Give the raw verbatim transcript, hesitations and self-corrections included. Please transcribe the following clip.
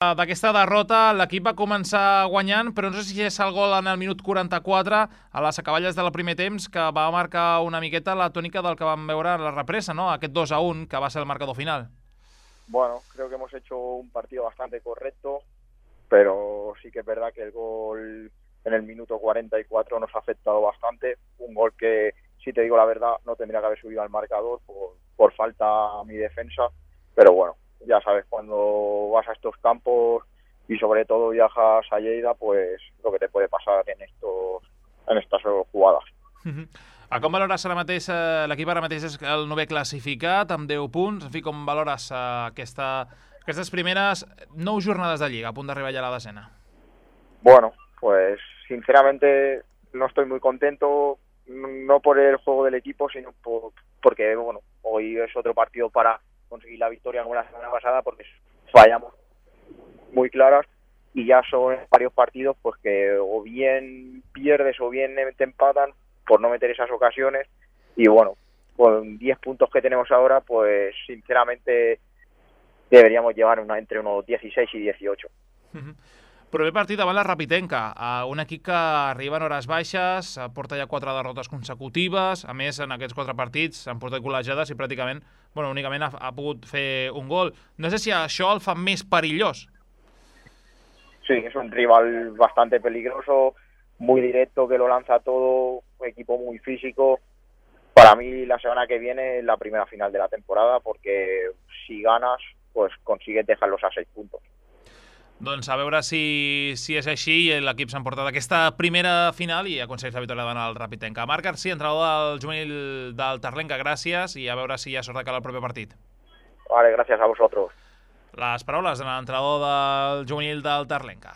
D'aquesta derrota l'equip va començar guanyant, però no sé si és el gol en el minut quaranta-quatre a les acaballes del primer temps que va marcar una miqueta la tònica del que vam veure en la represa, ¿no? Aquest dos a un que va ser el marcador final. Bueno, creo que hemos hecho un partido bastante correcto, pero sí que es verdad que el gol en el minuto cuarenta y cuatro nos ha afectado bastante. Un gol que, si te digo la verdad, no tendría que haber subido al marcador por, por falta a mi defensa, pero bueno, ya sabes, cuando vas a estos campos y sobre todo viajas a Lleida, pues lo que te puede pasar en estos en estas jugadas. A com valores ara mateix, eh, l'equip ara mateix és el novè classificat amb deu punts, en fi, com valores eh, aquesta, aquestes primeres nou jornades de Lliga a punt d'arribar ja a la desena? Bueno, pues sinceramente no estoy muy contento, no por el juego del equipo, sino por, porque bueno, hoy es otro partido para conseguir la victoria como la semana pasada, porque fallamos muy claras y ya son varios partidos pues que o bien pierdes o bien te empatan por no meter esas ocasiones, y bueno, con diez puntos que tenemos ahora, pues sinceramente deberíamos llevar una, entre unos dieciséis y dieciocho. Uh-huh. Proper partit davant la Rapitenca, un equip que arriba en hores baixes, porta ja quatre derrotes consecutives, a més en aquests quatre partits s'han portat golejades i pràcticament, bueno, únicament ha, ha pogut fer un gol. No sé si això el fa més perillós. Sí, es un rival bastante peligroso, muy directo, que lo lanza todo, un equipo muy físico. Para mí la semana que viene es la primera final de la temporada, porque si ganas, pues consigues dejarlos a seis puntos. Doncs a veure si, si és així i l'equip s'ha emportat aquesta primera final i aconsegueix la victòria davant el Rapitenca. Marc García, entrenador del juvenil del Terlenca, gràcies, i a veure si hi ha sort de cara al proper partit. Vale, gràcies a vosotros. Les paraules de l'entrenador del juvenil del Terlenca.